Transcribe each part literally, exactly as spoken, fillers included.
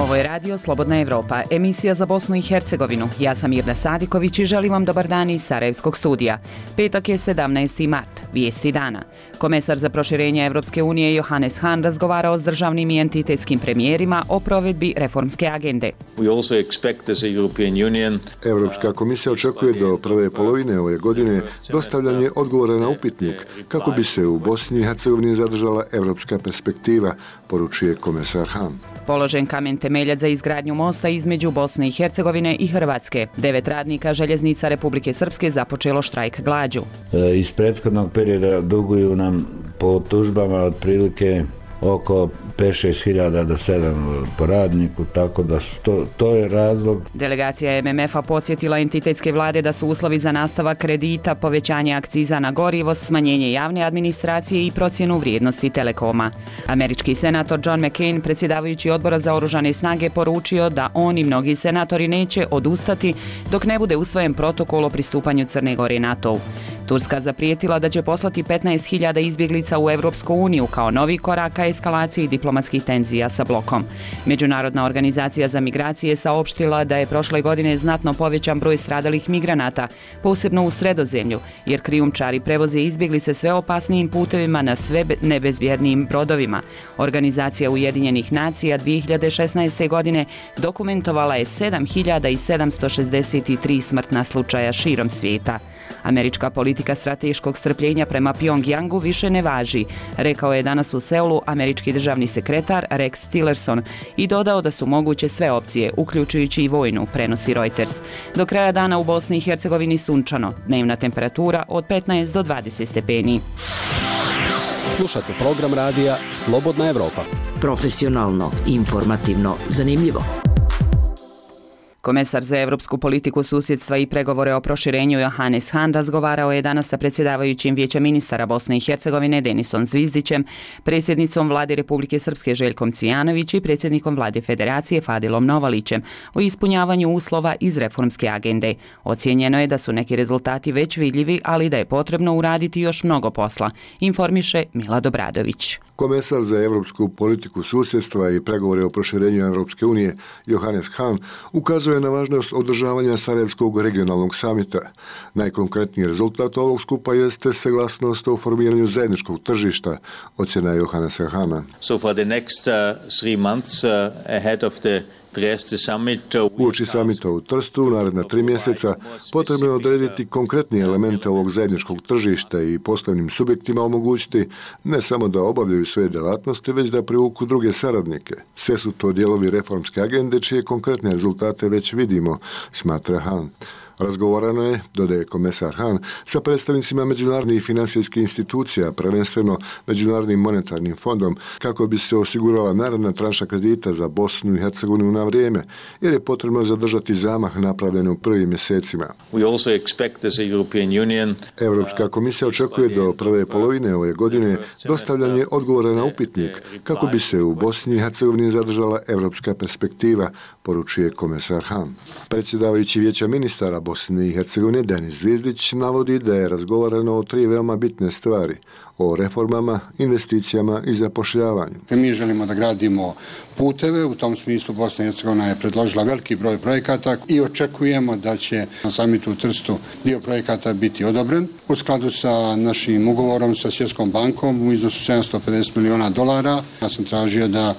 Ovo je radio Slobodna Evropa, emisija za Bosnu i Hercegovinu. Ja sam Mirna Sadiković i želim vam dobar dan iz Sarajevskog studija. Petak je sedamnaesti mart, vijesti dana. Komesar za proširenje Evropske unije Johannes Hahn razgovarao s državnim i entitetskim premijerima o provedbi reformske agende. Evropska komisija očekuje do prve polovine ove godine dostavljanje odgovora na upitnik kako bi se u Bosni i Hercegovini zadržala evropska perspektiva, poručuje komesar Hahn. Položen kamen temeljac za izgradnju mosta između Bosne i Hercegovine i Hrvatske. Devet radnika željeznica Republike Srpske započelo štrajk glađu. Iz prethodnog perioda duguju nam po tužbama otprilike oko pet šest hiljada do sedam po radniku, tako da to, to je razlog. Delegacija M M F-a podsjetila entitetske vlade da su uslovi za nastavak kredita, povećanje akciza na gorivo, smanjenje javne administracije i procjenu vrijednosti telekoma. Američki senator John McCain, predsjedavajući odbora za oružane snage, poručio da on i mnogi senatori neće odustati dok ne bude usvojen protokol o pristupanju Crne Gore NATO-u. Turska zaprijetila da će poslati petnaest hiljada izbjeglica u Evropsku uniju kao novi korak ka eskalaciji diplomatskih tenzija sa blokom. Međunarodna organizacija za migracije saopštila da je prošle godine znatno povećan broj stradalih migranata, posebno u Sredozemlju, jer krijumčari prevoze izbjeglice sve opasnijim putevima na sve nebezbjednijim brodovima. Organizacija Ujedinjenih nacija dvije hiljade šesnaeste. godine dokumentovala je sedam hiljada sedamsto šezdeset tri smrtna slučaja širom svijeta. Američka politika strateškog strpljenja prema Pjongjangu više ne važi, rekao je danas u Seulu američki državni sekretar Rex Tillerson i dodao da su moguće sve opcije, uključujući i vojnu, prenosi Reuters. Do kraja dana u Bosni i Hercegovini sunčano, dnevna temperatura od petnaest do dvadeset stepeni. Slušate program radija Slobodna Evropa. Profesionalno, informativno, zanimljivo. Komesar za evropsku politiku susjedstva i pregovore o proširenju Johannes Hahn razgovarao je danas sa predsjedavajućim Vijeća ministara Bosne i Hercegovine Denisom Zvizdićem, predsjednicom Vlade Republike Srpske Željkom Cvijanović i predsjednikom Vlade Federacije Fadilom Novalićem o ispunjavanju uslova iz reformske agende. Ocijenjeno je da su neki rezultati već vidljivi, ali da je potrebno uraditi još mnogo posla, informiše Milad Obradović. Komesar za evropsku politiku susjedstva i pregovore o proširenju Evropske unije Johannes Hahn ukazuje na važnost održavanja Sarajevskog regionalnog samita. Najkonkretniji rezultat ovog skupa jeste saglasnost o formiranju zajedničkog tržišta, ocjena Johannesa Hahna. So for the next uh, three months uh, ahead of the Uoči samita u Trstu u naredna tri mjeseca potrebno je odrediti konkretnije elemente ovog zajedničkog tržišta i poslovnim subjektima omogućiti ne samo da obavljaju svoje djelatnosti, već da privuku druge saradnike. Sve su to dijelovi reformske agende čije konkretne rezultate već vidimo, smatra Hahn. Razgovarano je, dodaje komesar Hahn, sa predstavnicima međunarodnih i financijskih institucija, prvenstveno Međunarodnim monetarnim fondom, kako bi se osigurala naredna tranša kredita za Bosnu i Hercegovinu na vrijeme, jer je potrebno zadržati zamah napravljen u prvim mjesecima. Evropska komisija očekuje do prve polovine ove godine dostavljanje odgovora na upitnik kako bi se u Bosni i Hercegovini zadržala evropska perspektiva, poručuje komesar Hahn. Predsjedavajući Vijeća ministara Bosne i Hercegovine Denis Zvizdić navodi da je razgovarano o tri veoma bitne stvari: o reformama, investicijama i zapošljavanju. Mi želimo da gradimo puteve, u tom smislu Bosna i Hercegovina je predložila veliki broj projekata i očekujemo da će na samitu u Trstu dio projekata biti odobren u skladu sa našim ugovorom sa Svjetskom bankom u iznosu sedamsto pedeset miliona dolara. Ja sam tražio da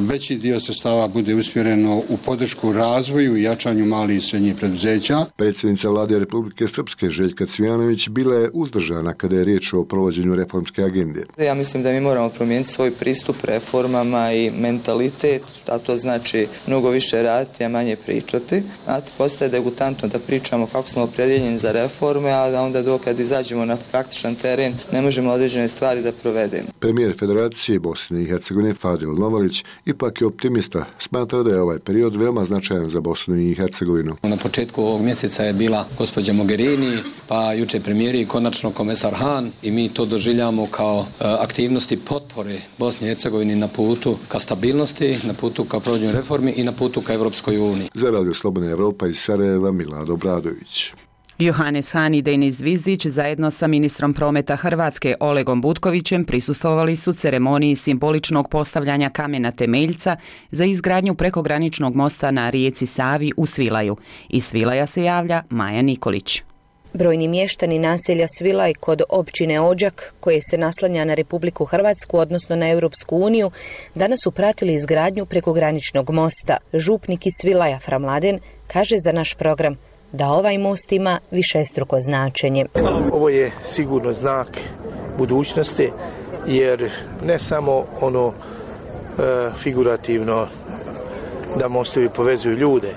veći dio sredstava bude usmjereno u podršku razvoju i jačanju malih i srednjih preduzeća. Predsjednica Vlade Republike Srpske Željka Cvijanović bila je uzdržana kada je riječ o provođenju reformske agende. Ja mislim da mi moramo promijeniti svoj pristup reformama i mentalitet, a to znači mnogo više raditi, a manje pričati. Znate, postaje degutantno da pričamo kako smo opredjeljeni za reforme, a da onda dokad izađemo na praktičan teren ne možemo određene stvari da provedemo. Premijer Federacije Bosne i Hercegovine Fadil Novalić ipak je optimista, smatra da je ovaj period veoma značajan za Bosnu i Hercegovinu. Na početku ovog mjeseca je bila gospođa Mogherini, pa juče premijeri i konačno komesar Hahn i mi to doživljamo kao uh, aktivnosti potpore Bosni i Hercegovini na putu ka stabilnosti, na putu ka provođenju reformi i na putu ka Evropskoj uniji. Za Radio Slobodna Evropa iz Sarajeva Milad Obradović. Johannes Hahn i Denis Zvizdić zajedno sa ministrom prometa Hrvatske Olegom Butkovićem prisustvovali su ceremoniji simboličnog postavljanja kamena temeljca za izgradnju prekograničnog mosta na rijeci Savi u Svilaju. Iz Svilaja se javlja Maja Nikolić. Brojni mještani naselja Svilaj kod općine Odžak, koje se naslanja na Republiku Hrvatsku, odnosno na Europsku uniju, danas su pratili izgradnju prekograničnog mosta. Župnik iz Svilaja Fra Mladen kaže za naš program da ovaj most ima višestruko značenje. Ovo je sigurno znak budućnosti, jer ne samo ono e, figurativno da mostovi povezuju ljude,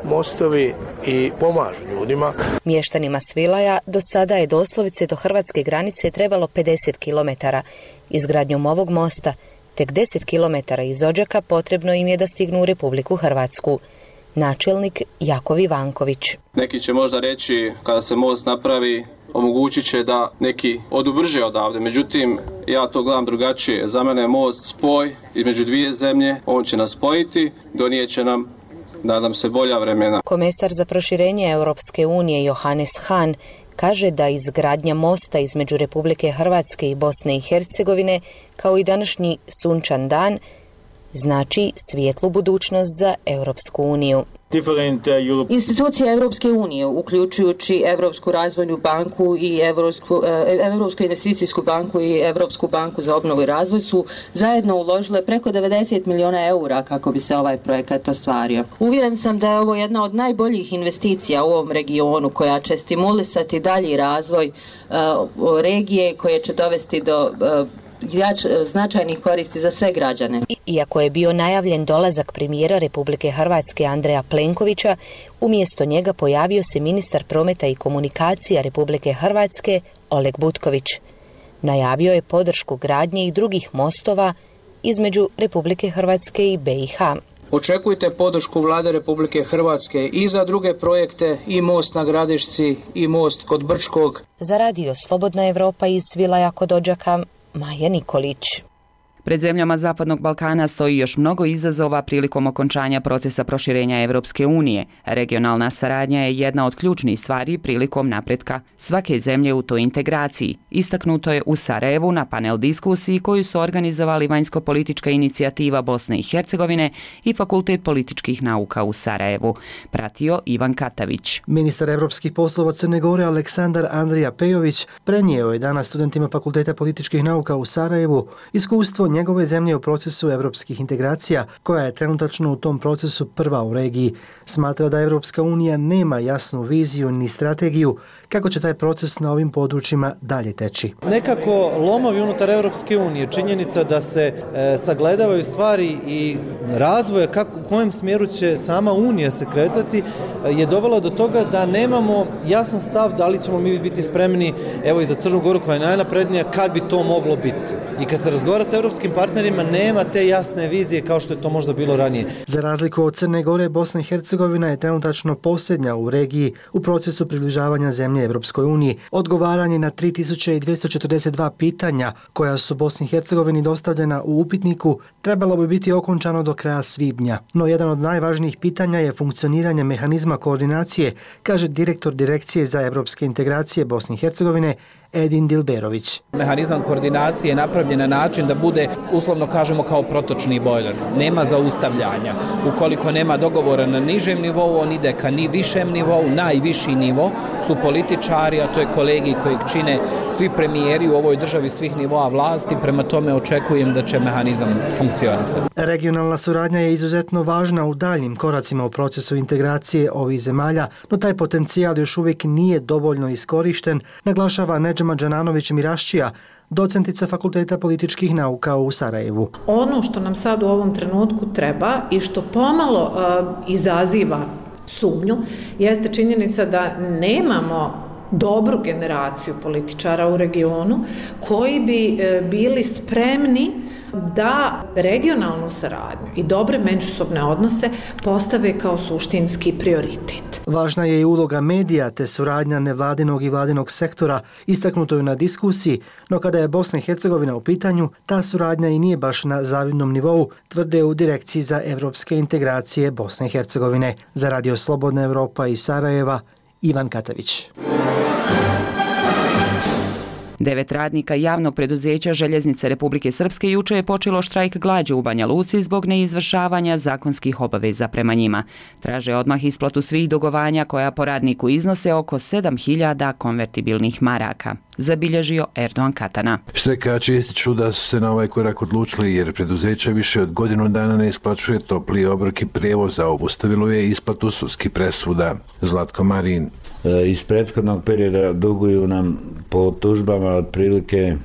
mostovi i pomažu ljudima. Mještanima Svilaja do sada je doslovice do hrvatske granice trebalo pedeset kilometara. Izgradnjom ovog mosta tek deset kilometara iz Odžaka potrebno im je da stignu u Republiku Hrvatsku. Načelnik Jakov Ivanković. Neki će možda reći kada se most napravi omogućit će da neki odu brže odavde. Međutim, ja to gledam drugačije. Za mene je most spoj između dvije zemlje. On će nas spojiti, donijet će nam, nadam se, bolja vremena. Komesar za proširenje Europske unije Johannes Hahn kaže da izgradnja mosta između Republike Hrvatske i Bosne i Hercegovine, kao i današnji sunčan dan, znači svijetlu budućnost za Europsku uniju. Institucije Europske unije, uključujući Europsku razvojnu banku i Europsku, Europsku investicijsku banku i Europsku banku za obnovu i razvoj, su zajedno uložile preko devedeset milijuna eura kako bi se ovaj projekat ostvario. Uvjeren sam da je ovo jedna od najboljih investicija u ovom regionu koja će stimulisati dalji razvoj uh, regije, koje će dovesti do uh, značajnih koristi za sve građane. Iako je bio najavljen dolazak premijera Republike Hrvatske Andreja Plenkovića, umjesto njega pojavio se ministar prometa i komunikacija Republike Hrvatske Oleg Butković. Najavio je podršku gradnje i drugih mostova između Republike Hrvatske i be i ha. Očekujte podršku Vlade Republike Hrvatske i za druge projekte, i most na Gradišci, i most kod Brčkog. Za radio Slobodna Evropa iz Svilaja kod Odžaka, Maja Nikolić. Pred zemljama Zapadnog Balkana stoji još mnogo izazova prilikom okončanja procesa proširenja Europske unije. Regionalna saradnja je jedna od ključnih stvari prilikom napretka svake zemlje u toj integraciji. Istaknuto je u Sarajevu na panel diskusiji koju su organizovali Vanjsko-politička inicijativa Bosne i Hercegovine i Fakultet političkih nauka u Sarajevu. Pratio Ivan Katavić. Ministar evropskih poslova Crne Gore Aleksandar Andrija Pejović prenijeo je danas studentima Fakulteta političkih nauka u Sarajevu iskustvo njegove zemlje u procesu evropskih integracija, koja je trenutačno u tom procesu prva u regiji. Smatra da Evropska unija nema jasnu viziju ni strategiju kako će taj proces na ovim područjima dalje teći. Nekako lomovi unutar Evropske unije, činjenica da se e, sagledavaju stvari i razvoje kako, u kojem smjeru će sama unija se kretati, e, je dovela do toga da nemamo jasan stav da li ćemo mi biti spremni, evo i za Crnu Goru koja je najnaprednija, kad bi to moglo biti. I kad se razgovara sa evropskim partnerima, nema te jasne vizije kao što je to možda bilo ranije. Za razliku od Crne Gore, Bosna i Hercegovina je trenutačno posljednja u regiji u procesu približavanja zemlje Evropskoj uniji. Odgovaranje na tri tisuće dvjesto četrdeset dva pitanja koja su Bosni i Hercegovini dostavljena u upitniku trebalo bi biti okončano do kraja svibnja. No jedan od najvažnijih pitanja je funkcioniranje mehanizma koordinacije, kaže direktor Direkcije za evropske integracije Bosne i Hercegovine Edin Dilberović. Mehanizam koordinacije je napravljen na način da bude, uslovno kažemo, kao protočni bojler. Nema zaustavljanja. Ukoliko nema dogovora na nižem nivou, on ide ka ni višem nivou. Najviši nivo su političari, a to je kolegi kojeg čine svi premijeri u ovoj državi svih nivoa vlasti. Prema tome očekujem da će mehanizam funkcionisati. Regionalna suradnja je izuzetno važna u daljnim koracima u procesu integracije ovih zemalja, no taj potencijal još uvijek nije dovoljno iskorišten, naglašava Nedžema Džananović Miraščija, docentica Fakulteta političkih nauka u Sarajevu. Ono što nam sad u ovom trenutku treba i što pomalo uh, izaziva sumnju jeste činjenica da nemamo dobru generaciju političara u regionu koji bi uh, bili spremni da regionalnu saradnju i dobre međusobne odnose postave kao suštinski prioritet. Važna je i uloga medija te suradnja nevladinog i vladinog sektora, istaknuto je na diskusiji, no kada je Bosna i Hercegovina u pitanju, ta suradnja i nije baš na zavidnom nivou, tvrde u Direkciji za evropske integracije Bosne i Hercegovine. Za radio Slobodna Evropa iz Sarajeva, Ivan Katavić. Devet radnika javnog preduzeća Željeznice Republike Srpske juče je počelo štrajk glađu u Banja Luci zbog neizvršavanja zakonskih obaveza prema njima. Traže odmah isplatu svih dugovanja koja po radniku iznose oko sedam hiljada konvertibilnih maraka, zabilježio Erdogan Katana. Štrajkači ističu da su se na ovaj korak odlučili jer preduzeće više od godinu dana ne isplaćuje topli obrok i prijevoz, a obustavilo je isplatu sudskih presuda. Zlatko Marin. E, iz prethodnog perioda duguju nam po tužbama otprilike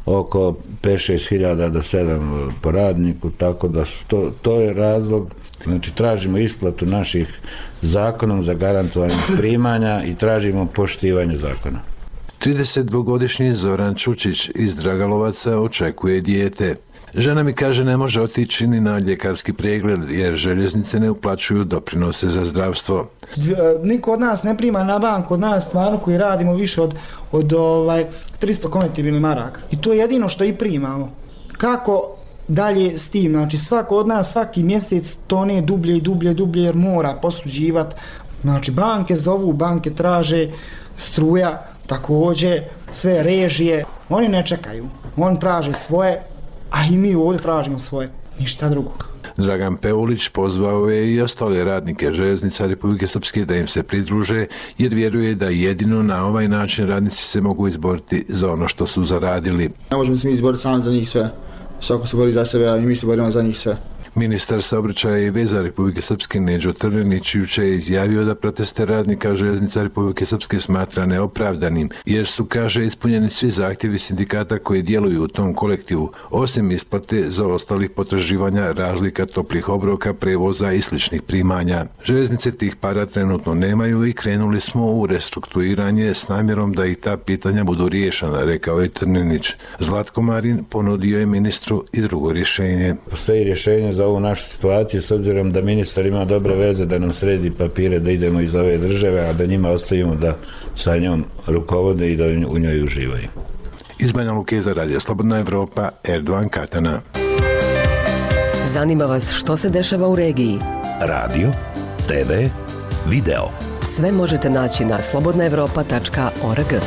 oko pet šest hiljada do sedam po radniku, tako da to, to je razlog. Znači tražimo isplatu naših zakonom zagarantovanih primanja i tražimo poštivanje zakona. tridesetdvogodišnji Zoran Čučić iz Dragalovaca očekuje dijete. Žena mi kaže ne može otići ni na ljekarski pregled jer željeznice ne uplaćuju doprinose za zdravstvo. Niko od nas ne prima na banku, od nas stvarno koji radimo više od, od ovaj, tristo konvertibilnih maraka. I to je jedino što i primamo. Kako dalje s tim? Znači svako od nas svaki mjesec tone dublje i dublje, dublje jer mora posuđivati. Znači banke zovu, banke traže, struja također, sve režije. Oni ne čekaju, oni traže svoje, a i mi ovdje tražimo svoje, ništa drugo. Dragan Peulić pozvao je i ostale radnike Željeznica Republike Srpske da im se pridruže jer vjeruje da jedino na ovaj način radnici se mogu izboriti za ono što su zaradili. Ne možemo se mi izboriti sami za njih sve, svako se bori za sebe, a i mi se borimo za njih sve. Ministar saobraćaja i veza Republike Srpske Neđo Trninić juče je izjavio da proteste radnika Željeznica Republike Srpske smatra neopravdanim, jer su, kaže, ispunjeni svi zahtjevi sindikata koji djeluju u tom kolektivu, osim isplate za ostalih potraživanja razlika toplih obroka, prevoza i sličnih primanja. Željeznice tih para trenutno nemaju i krenuli smo u restrukturiranje s namjerom da i ta pitanja budu riješena, rekao je Trninić. Zlatko Marin ponudio je ministru i drugo rješenje. Postoji rješenje za ovu našu situaciju s obzirom da ministar ima dobre veze da nam sredi papire da idemo iz ove države, a da njima ostavimo da sa njom rukovode i da u njoj uživaju. Iz Banja Luke za Radio Slobodna Evropa, Erdogan Katana. Zanima vas što se dešava u regiji? Radio, te ve, video. Sve možete naći na slobodna evropa tačka org.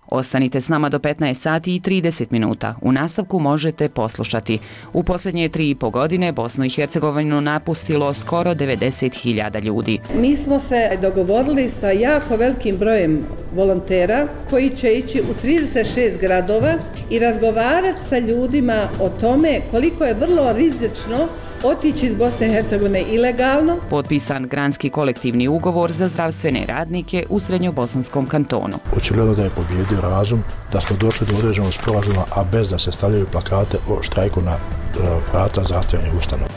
Ostanite s nama do petnaest sati i trideset minuta. U nastavku možete poslušati. U posljednje tri i po godine Bosnu i Hercegovinu napustilo skoro devedeset hiljada ljudi. Mi smo se dogovorili sa jako velikim brojem volontera koji će ići u trideset šest gradova i razgovarati sa ljudima o tome koliko je vrlo rizično otići iz Bosne i Hercegovine ilegalno. Potpisan granski kolektivni ugovor za zdravstvene radnike u Srednjobosanskom kantonu. Očigledno da je pobjedio razum, da smo došli do određenog sporazuma, a bez da se stavljaju plakate o štrajku na vrata zdravstvenih ustanova.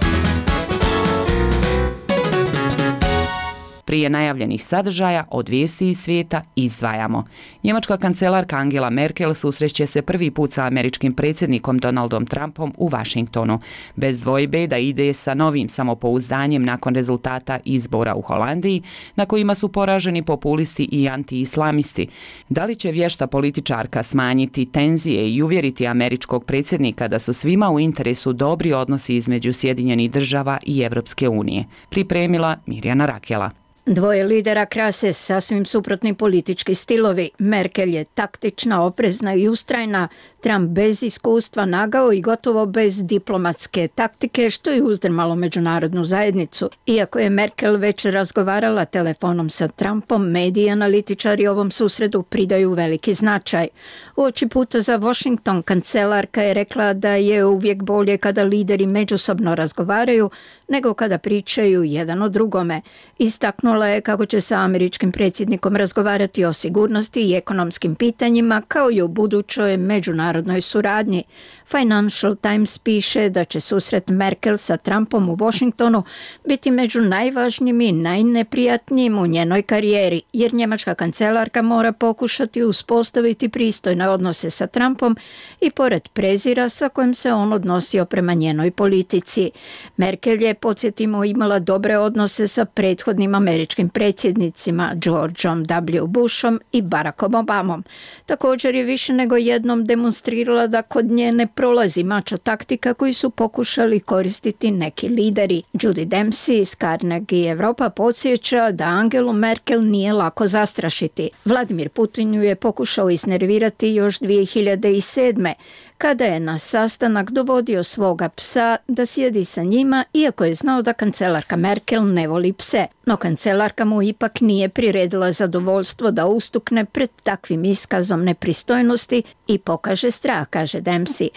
Prije najavljenih sadržaja od vijesti iz svijeta izdvajamo. Njemačka kancelarka Angela Merkel susreće se prvi put sa američkim predsjednikom Donaldom Trumpom u Washingtonu. Bez dvojbe da ide sa novim samopouzdanjem nakon rezultata izbora u Holandiji, na kojima su poraženi populisti i anti-islamisti. Da li će vješta političarka smanjiti tenzije i uvjeriti američkog predsjednika da su svima u interesu dobri odnosi između Sjedinjenih država i Evropske unije? Pripremila Mirjana Rakela. Dvoje lidera krase sasvim suprotni politički stilovi. Merkel je taktična, oprezna i ustrajna, Trump bez iskustva, nagao i gotovo bez diplomatske taktike, što je uzdrmalo međunarodnu zajednicu. Iako je Merkel već razgovarala telefonom sa Trumpom, mediji i analitičari ovom susredu pridaju veliki značaj. Uoči puta za Washington kancelarka je rekla da je uvijek bolje kada lideri međusobno razgovaraju nego kada pričaju jedan o drugome. Istaknula je kako će sa američkim predsjednikom razgovarati o sigurnosti i ekonomskim pitanjima kao i o budućoj međunarodnoj suradnji. Financial Times piše da će susret Merkel sa Trumpom u Washingtonu biti među najvažnijim i najneprijatnijim u njenoj karijeri, jer njemačka kancelarka mora pokušati uspostaviti pristojne odnose sa Trumpom i pored prezira sa kojim se on odnosio prema njenoj politici. Merkel je, podsjetimo, imala dobre odnose sa prethodnim američkim američkim predsjednicima Georgeom W. Bushom i Barackom Obamom. Također je više nego jednom demonstrirala da kod nje ne prolazi mačo taktika koju su pokušali koristiti neki lideri. Judy Dempsey iz Carnegie Europa podsjeća da Angelu Merkel nije lako zastrašiti. Vladimir Putin ju je pokušao iznervirati još dvije hiljade sedme. kada je na sastanak dovodio svoga psa da sjedi sa njima, iako je znao da kancelarka Merkel ne voli pse. No kancelarka mu ipak nije priredila zadovoljstvo da ustukne pred takvim iskazom nepristojnosti i pokaže strah, kaže Dempsey.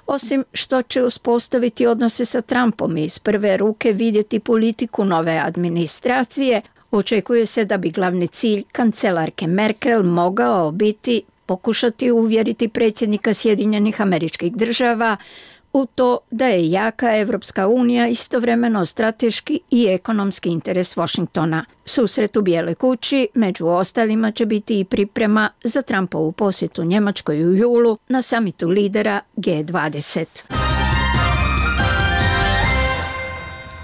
Osim što će uspostaviti odnose sa Trumpom i iz prve ruke vidjeti politiku nove administracije, očekuje se da bi glavni cilj kancelarke Merkel mogao biti pokušati uvjeriti predsjednika Sjedinjenih Američkih Država u to da je jaka Evropska unija istovremeno strateški i ekonomski interes Washingtona. Susret u Bijeloj kući među ostalima će biti i priprema za Trumpovu posjetu Njemačkoj u julu na samitu lidera G dvadeset.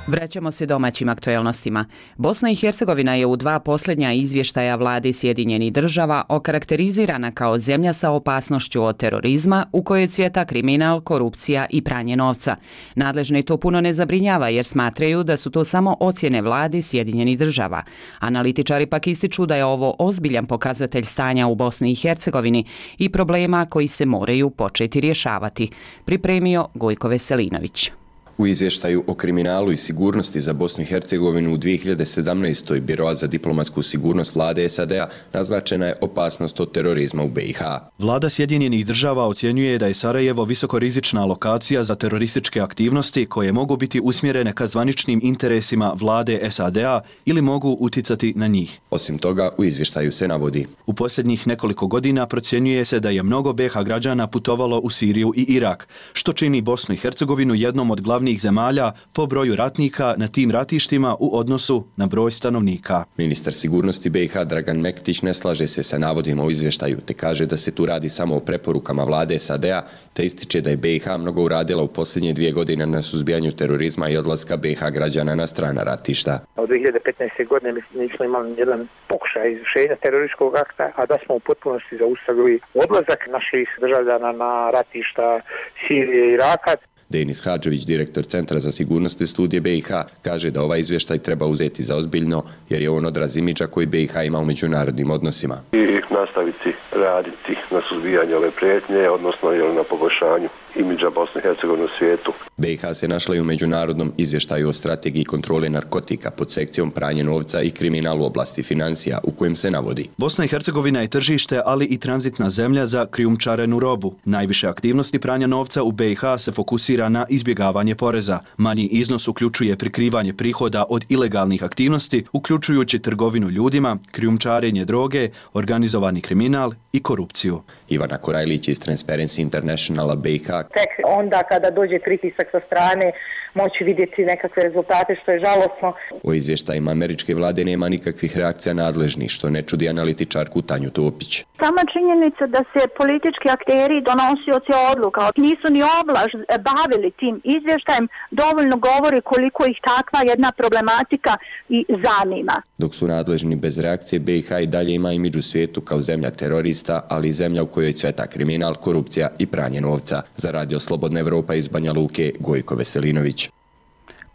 Vraćamo se domaćim aktuelnostima. Bosna i Hercegovina je u dva posljednja izvještaja vlade Sjedinjenih Država okarakterizirana kao zemlja sa opasnošću od terorizma u kojoj cvjeta kriminal, korupcija i pranje novca. Nadležne to puno ne zabrinjava jer smatraju da su to samo ocjene vlade Sjedinjenih Država. Analitičari pak ističu da je ovo ozbiljan pokazatelj stanja u Bosni i Hercegovini i problema koji se moraju početi rješavati. Pripremio Gojko Veselinović. U izvještaju o kriminalu i sigurnosti za Bosnu i Hercegovinu u dvije hiljade sedamnaestoj. Biroa za diplomatsku sigurnost vlade S A D-a naznačena je opasnost od terorizma u B i H. Vlada Sjedinjenih Država ocjenjuje da je Sarajevo visokorizična lokacija za terorističke aktivnosti koje mogu biti usmjerene ka zvaničnim interesima vlade S A D-a ili mogu uticati na njih. Osim toga, u izvještaju se navodi: u posljednjih nekoliko godina procjenjuje se da je mnogo B i H građana putovalo u Siriju i Irak, što čini Bosnu i Hercegovinu jednom od glavnih zemalja po broju ratnika na tim ratištima u odnosu na broj stanovnika. Ministar sigurnosti B i H Dragan Mektić ne slaže se sa navodima u izvještaju, te kaže da se tu radi samo o preporukama vlade S A D-a, te ističe da je B i H mnogo uradila u posljednje dvije godine na suzbijanju terorizma i odlaska B i H građana na strana ratišta. Od dvije hiljade petnaeste. godine nismo imali jedan pokušaj izvršenja terorističkog akta, a da smo u potpunosti zaustavili odlazak naših državljana na ratišta Sirije i Iraka. Denis Hadžović, direktor Centra za sigurnost i studije B i H, kaže da ovaj izvještaj treba uzeti za ozbiljno jer je on odraz imidža koji B i H ima u međunarodnim odnosima. I nastaviti raditi na suzbijanju ove prijetnje, odnosno na poboljšanju imidža Bosne i Hercegovine u svijetu. B i H se našla i u međunarodnom izvještaju o strategiji kontrole narkotika pod sekcijom pranje novca i kriminal u oblasti financija, u kojem se navodi: Bosna i Hercegovina je tržište, ali i tranzitna zemlja za krijumčarenu robu. Najviše aktivnosti pranja novca u B i H se fokusira na izbjegavanje poreza. Manji iznos uključuje prikrivanje prihoda od ilegalnih aktivnosti, uključujući trgovinu ljudima, krijumčarenje droge, organizovani kriminal i korupciju. Ivana Korajlić iz Transparency Internationala B i H: tek onda kada dođe pritisak sa strane moći vidjeti nekakve rezultate, što je žalosno. O izvještajima američke vlade nema nikakvih reakcija nadležnih, što ne čudi analitičarku Tanju Topić. Sama činjenica da se politički akteri, donosioci odluka nisu ni ovlaš bavili tim izvještajem dovoljno govori koliko ih takva jedna problematika i zanima. Dok su nadležni bez reakcije, B i H i dalje ima imidž u svijetu kao zemlja terorista, ali i zemlja u kojoj cveta kriminal, korupcija i pranje novca. Za Radio Slobodna Evropa iz Banja Luke, Gojko Veselinović.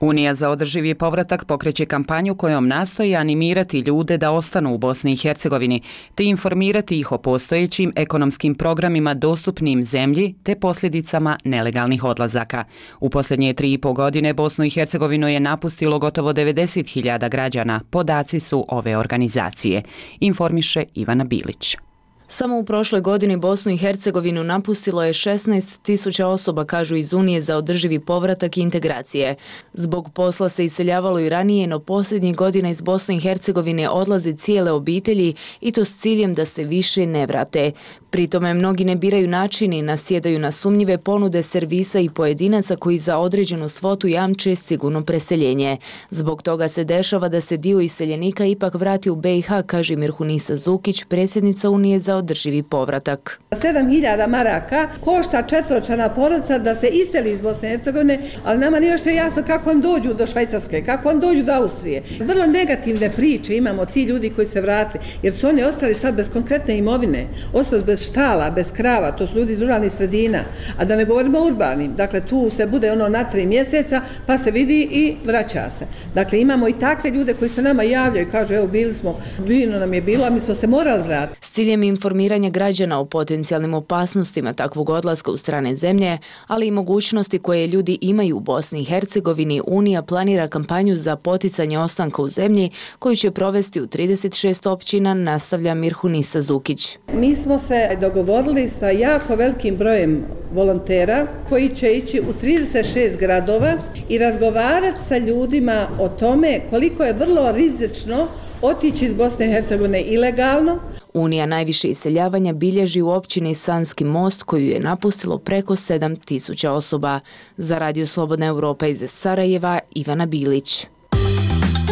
Unija za održivi povratak pokreće kampanju kojom nastoji animirati ljude da ostanu u Bosni i Hercegovini te informirati ih o postojećim ekonomskim programima dostupnim zemlji te posljedicama nelegalnih odlazaka. U posljednje tri i po godine Bosnu i Hercegovinu je napustilo gotovo devedeset hiljada građana, podaci su ove organizacije, informiše Ivana Bilić. Samo u prošloj godini Bosnu i Hercegovinu napustilo je šesnaest tisuća osoba, kažu iz Unije za održivi povratak i integracije. Zbog posla se iseljavalo i ranije, no posljednjih godina iz Bosne i Hercegovine odlaze cijele obitelji i to s ciljem da se više ne vrate. Pri tome mnogi ne biraju načini, nasjedaju na sumnjive ponude servisa i pojedinaca koji za određenu svotu jamče sigurno preseljenje. Zbog toga se dešava da se dio iseljenika ipak vrati u B i H, kaže Mirhunisa Zukić, predsjednica Unije za održivi povratak. sedam hiljada maraka košta četvoročlana porodica da se iseli iz Bosne i Hercegovine, ali nama nije još jasno kako on dođu do Švajcarske, kako on dođu do Austrije. Vrlo negativne priče imamo ti ljudi koji se vrate, jer su oni ostali sad bez konkretne imovine, ostali bez štala, bez krava, to su ljudi iz ruralnih sredina, a da ne govorimo o urbanim. Dakle, tu se bude ono na tri mjeseca, pa se vidi i vraća se. Dakle, imamo i takve ljude koji se nama javljaju i kažu, evo, bili smo, bilo nam je bilo, a mi smo se morali vratiti. S ciljem informiranja građana o potencijalnim opasnostima takvog odlaska u strane zemlje, ali i mogućnosti koje ljudi imaju u Bosni i Hercegovini, Unija planira kampanju za poticanje ostanka u zemlji koju će provesti u trideset šest općina, nastavlja Mirhunisa Zukić. Mi smo se dogovorili sa jako velikim brojem volontera koji će ići u trideset šest gradova i razgovarati sa ljudima o tome koliko je vrlo rizično otići iz Bosne i Hercegovine ilegalno. Unija najviše iseljavanja bilježi u općini Sanski most koju je napustilo preko sedam tisuća osoba. Za Radio Slobodna Evropa iz Sarajeva, Ivana Bilić.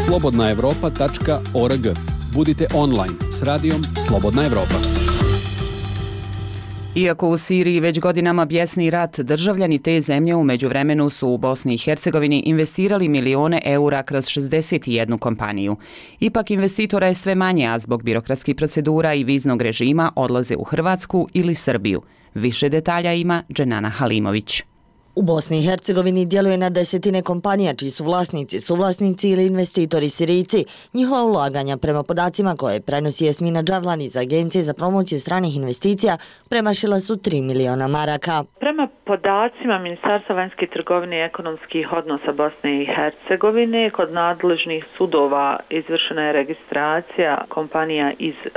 slobodna evropa tačka org. Budite online s radijom Slobodna Evropa. Iako u Siriji već godinama bjesni rat, državljani te zemlje u međuvremenu su u Bosni i Hercegovini investirali milione eura kroz šezdeset jednu kompaniju. Ipak investitora je sve manje, a zbog birokratskih procedura i viznog režima odlaze u Hrvatsku ili Srbiju. Više detalja ima Dženana Halimović. U Bosni i Hercegovini djeluje na desetine kompanija čiji su vlasnici, suvlasnici ili investitori Sirijci. Njihova ulaganja prema podacima koje prenosi Jasmina Džavlan iz Agencije za promociju stranih investicija premašila su tri miliona maraka. Prema podacima Ministarstva vanjske trgovine i ekonomskih odnosa Bosne i Hercegovine, kod nadležnih sudova izvršena je registracija kompanija iz e,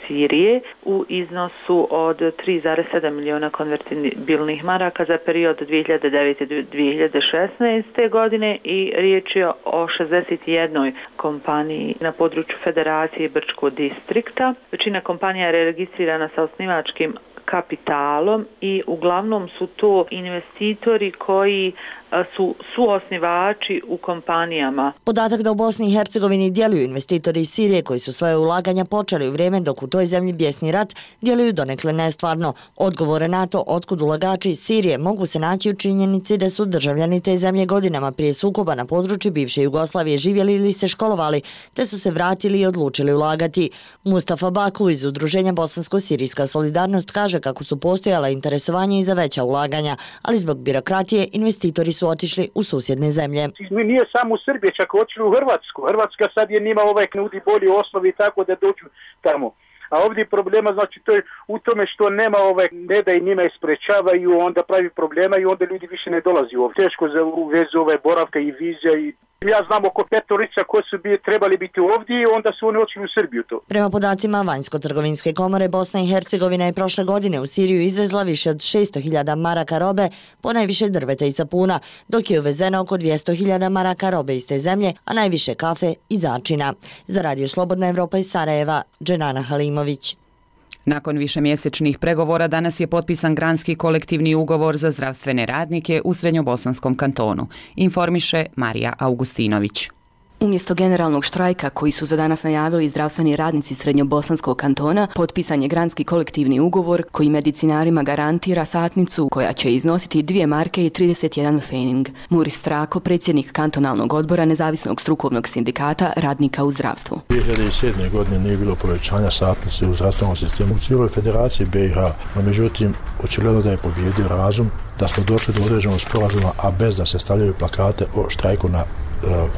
Sirije u iznosu od tri zarez sedam miliona konvertibilnih maraka za period dvije hiljade devete do dvije hiljade šesnaeste. godine i riječ je o šezdeset jednoj kompaniji na području Federacije Brčkog distrikta. Većina kompanija je registrirana sa osnivačkim kapitalom i uglavnom su to investitori koji su suosnivači u kompanijama. Podatak da u Bosni i Hercegovini djeluju investitori iz Sirije koji su svoje ulaganja počeli u vrijeme dok u toj zemlji bjesni rat djeluju donekle nestvarno. Odgovore na to otkud ulagači iz Sirije mogu se naći u činjenici da su državljani te zemlje godinama prije sukoba na području bivše Jugoslavije živjeli ili se školovali, te su se vratili i odlučili ulagati. Mustafa Baku iz udruženja Bosansko-Sirijska solidarnost kaže kako su postojala interesovanja i za veća ulaganja, ali zbog birokratije investitori su otišli u susjedne zemlje. Nije samo u Srbiji, čak otišli u Hrvatsku. Hrvatska sad je njima ovaj nudi bolji osnovi tako da dođu tamo. A ovdje problema znači to je u tome što nema ovaj, ne da i njima isprečavaju, onda pravi problema i onda ljudi više ne dolazi ovdje. Teško za u vezi ove boravka i vizija i ja znam oko petorica koji su bi, trebali biti ovdje i onda su oni otišli u Srbiju to. Prema podacima Vanjsko-trgovinske komore, Bosna i Hercegovina je prošle godine u Siriju izvezla više od šesto hiljada maraka robe, ponajviše drveta i sapuna, dok je uvezeno oko dvjesto hiljada maraka robe iz te zemlje, a najviše kafe i začina. Za Radio Slobodna Evropa iz Sarajeva, Dženana Halimović. Nakon višemjesečnih pregovora danas je potpisan granski kolektivni ugovor za zdravstvene radnike u Srednjobosanskom kantonu, informiše Marija Augustinović. Umjesto generalnog štrajka koji su za danas najavili zdravstveni radnici Srednjobosanskog kantona, potpisan je granski kolektivni ugovor koji medicinarima garantira satnicu koja će iznositi dvije marke i trideset jedan fening. Muris Strako, predsjednik kantonalnog odbora Nezavisnog strukovnog sindikata radnika u zdravstvu. dvije hiljade sedme. godine nije bilo povećanja satnice u zdravstvenom sistemu u cijeloj federaciji B i H, no međutim očigledno da je pobjedio razum, da smo došli do određenog sporazuma, a bez da se stavljaju plakate o štrajku na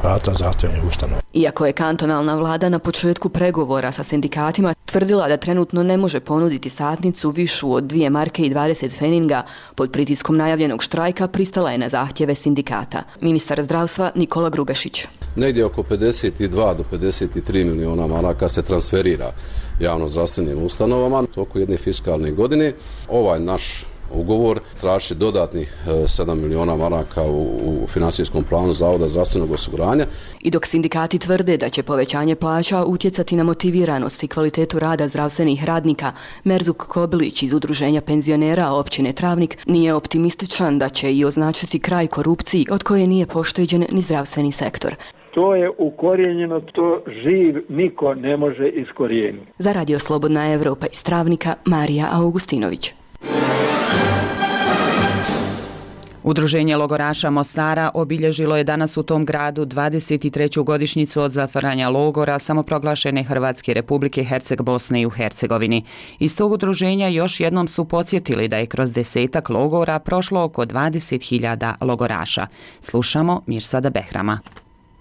vrata zdravstvenih ustanova. Iako je kantonalna vlada na početku pregovora sa sindikatima tvrdila da trenutno ne može ponuditi satnicu višu od dvije marke i dvadeset feninga, pod pritiskom najavljenog štrajka pristala je na zahtjeve sindikata. Ministar zdravstva Nikola Grubešić. Negdje oko pedeset dva do pedeset tri miliona maraka se transferira javno zdravstvenim ustanovama toku jedne fiskalne godine. Ovaj naš ugovor traži dodatnih sedam miliona maraka u, u financijskom planu Zavoda zdravstvenog osiguranja. I dok sindikati tvrde da će povećanje plaća utjecati na motiviranost i kvalitetu rada zdravstvenih radnika, Merzuk Kobilić iz Udruženja penzionera općine Travnik nije optimističan da će i označiti kraj korupciji od koje nije pošteđen ni zdravstveni sektor. To je ukorijenjeno, to živ niko ne može iskorijeniti. Za Radio Slobodna Evropa iz Travnika, Marija Augustinović. Udruženje logoraša Mostara obilježilo je danas u tom gradu dvadeset treću godišnjicu od zatvaranja logora samoproglašene Hrvatske Republike Herceg Bosne i u Hercegovini. Iz tog udruženja još jednom su podsjetili da je kroz desetak logora prošlo oko dvadeset hiljada logoraša. Slušamo Mirsada Behrama.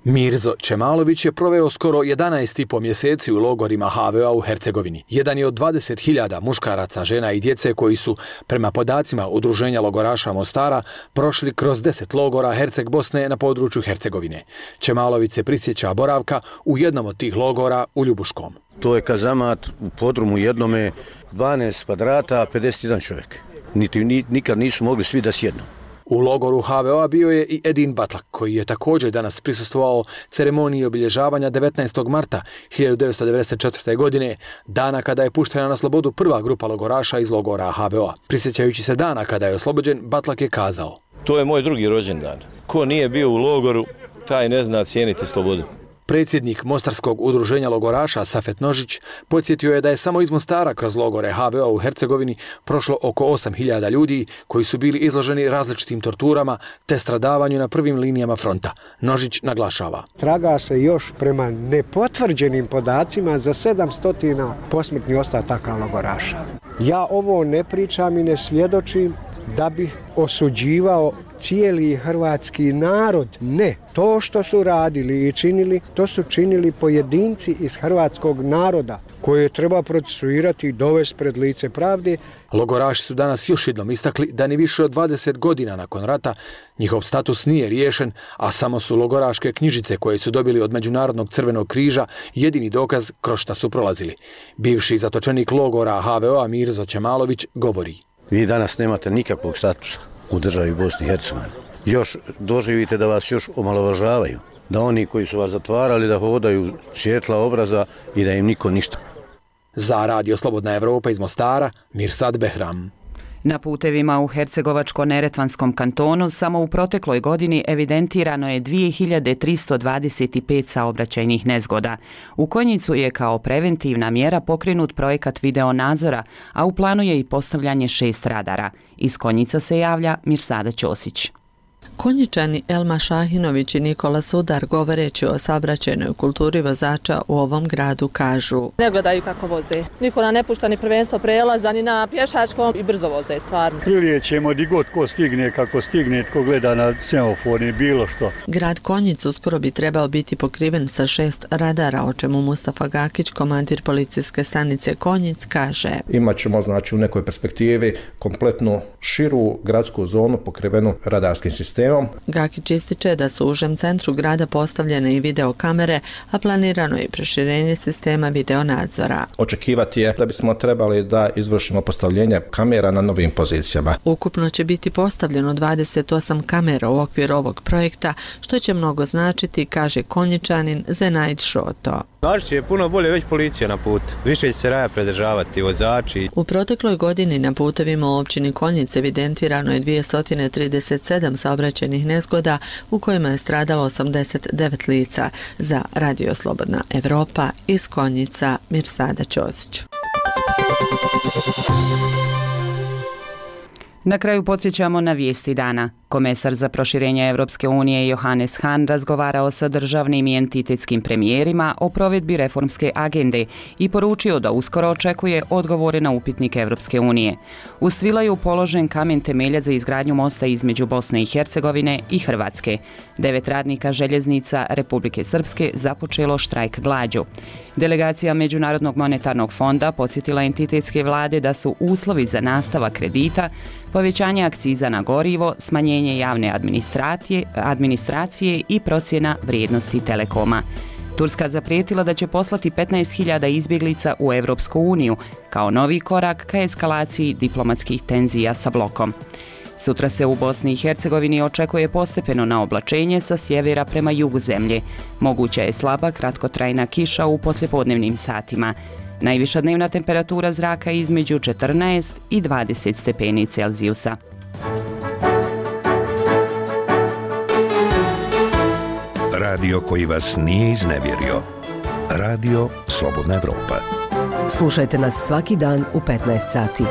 Mirzo Čemalović je proveo skoro jedanaest i po mjeseci u logorima ha ve a u Hercegovini. Jedan je od dvadeset hiljada muškaraca, žena i djece koji su, prema podacima Udruženja logoraša Mostara, prošli kroz deset logora Herceg Bosne na području Hercegovine. Čemalović se prisjeća boravka u jednom od tih logora u Ljubuškom. To je kazamat u podrumu jednome, dvanaest kvadrata, pedeset jedan čovjek. Niti, nikad nisu mogli svi da sjednu. U logoru ha ve a bio je i Edin Batlak, koji je također danas prisustvovao ceremoniji obilježavanja devetnaestog marta hiljadu devetsto devedeset četvrte. godine, dana kada je puštena na slobodu prva grupa logoraša iz logora ha ve a. Prisjećajući se dana kada je oslobođen, Batlak je kazao: To je moj drugi rođendan. Ko nije bio u logoru, taj ne zna cijeniti slobodu. Predsjednik Mostarskog udruženja logoraša Safet Nožić podsjetio je da je samo iz Mostara kroz logore ha ve a u Hercegovini prošlo oko osam hiljada ljudi koji su bili izloženi različitim torturama te stradavanju na prvim linijama fronta. Nožić naglašava: Traga se još prema nepotvrđenim podacima za sedamsto posmrtnih ostataka logoraša. Ja ovo ne pričam i ne svjedočim da bih osuđivao cijeli hrvatski narod. Ne, to što su radili i činili, to su činili pojedinci iz hrvatskog naroda koje treba procesuirati i dovesti pred lice pravde. Logoraši su danas još jednom istakli da ni više od dvadeset godina nakon rata njihov status nije riješen, a samo su logoraške knjižice koje su dobili od Međunarodnog crvenog križa jedini dokaz kroz šta su prolazili. Bivši zatočenik logora ha ve a Mirzo Čemalović govori: Vi danas nemate nikakvog statusa u državi Bosni i Hercegovini. Još doživite da vas još omalovažavaju, da oni koji su vas zatvarali da hodaju svjetla obraza i da im niko ništa. Za Radio Slobodna Evropa iz Mostara, Mirsad Behram. Na putevima u Hercegovačko-Neretvanskom kantonu samo u protekloj godini evidentirano je dvije hiljade tristo dvadeset pet saobraćajnih nezgoda. U Konjicu je kao preventivna mjera pokrenut projekat video nadzora, a u planu je i postavljanje šest radara. Iz Konjica se javlja Mirsada Ćosić. Konjičani Elma Šahinović i Nikola Sudar, govoreći o saobraćajnoj kulturi vozača u ovom gradu, kažu: Ne gledaju kako voze. Niko na ne pušta ni prvenstvo prelaza, ni na pješačkom i brzo voze, stvarno. Prilijećemo di god ko stigne, kako stigne, tko gleda na semafor ni bilo što. Grad Konjic uskoro bi trebao biti pokriven sa šest radara, o čemu Mustafa Gakić, komandir policijske stanice Konjic, kaže: Imaćemo, znači, u nekoj perspektivi kompletnu širu gradsku zonu pokrivenu radarskim sistemom. Gakić ističe da su u užem centru grada postavljene i videokamere, a planirano je proširenje sistema videonadzora. Očekivati je da bismo trebali da izvršimo postavljenje kamera na novim pozicijama. Ukupno će biti postavljeno dvadeset osam kamera u okviru ovog projekta, što će mnogo značiti, kaže Konjičanin Zenajd Šoto. Znači je puno bolje već policija na put. Više će se raja predržavati vozači. U protekloj godini na putevima u općini Konjic evidentirano je dvjesto trideset sedam saobraćajnih nezgoda u kojima je stradalo osamdeset devet lica. Za Radio Slobodna Evropa iz Konjica, Mirsada Ćosić. Na kraju podsjećamo na vijesti dana. Komesar za proširenje Evropske unije Johannes Hahn razgovarao sa državnim i entitetskim premijerima o provedbi reformske agende i poručio da uskoro očekuje odgovore na upitnik Evropske unije. U Svilaju položen kamen temeljac za izgradnju mosta između Bosne i Hercegovine i Hrvatske. Devet radnika željeznica Republike Srpske započelo štrajk glađu. Delegacija Međunarodnog monetarnog fonda podsjetila entitetske vlade da su uslovi za nastavak kredita povećanje akciza na gorivo, smanjenje javne administracije, administracije i procjena vrijednosti Telekoma. Turska zaprijetila da će poslati petnaest hiljada izbjeglica u Evropsku uniju kao novi korak ka eskalaciji diplomatskih tenzija sa blokom. Sutra se u Bosni i Hercegovini očekuje postepeno naoblačenje sa sjevera prema jugu zemlje. Moguća je slaba kratkotrajna kiša u poslijepodnevnim satima. Najviša dnevna temperatura zraka je između četrnaest i dvadeset stepeni Celzijusa. radio koji vas nije iznevjerio. Radio Slobodna Evropa. Slušajte nas svaki dan u petnaest sati.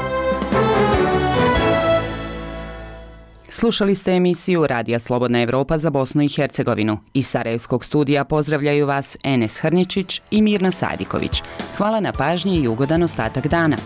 Slušali ste emisiju Radija Slobodna Evropa za Bosnu i Hercegovinu. Iz Sarajevskog studija pozdravljaju vas Enes Hrničić i Mirna Sadiković. Hvala na pažnji i ugodan ostatak dana.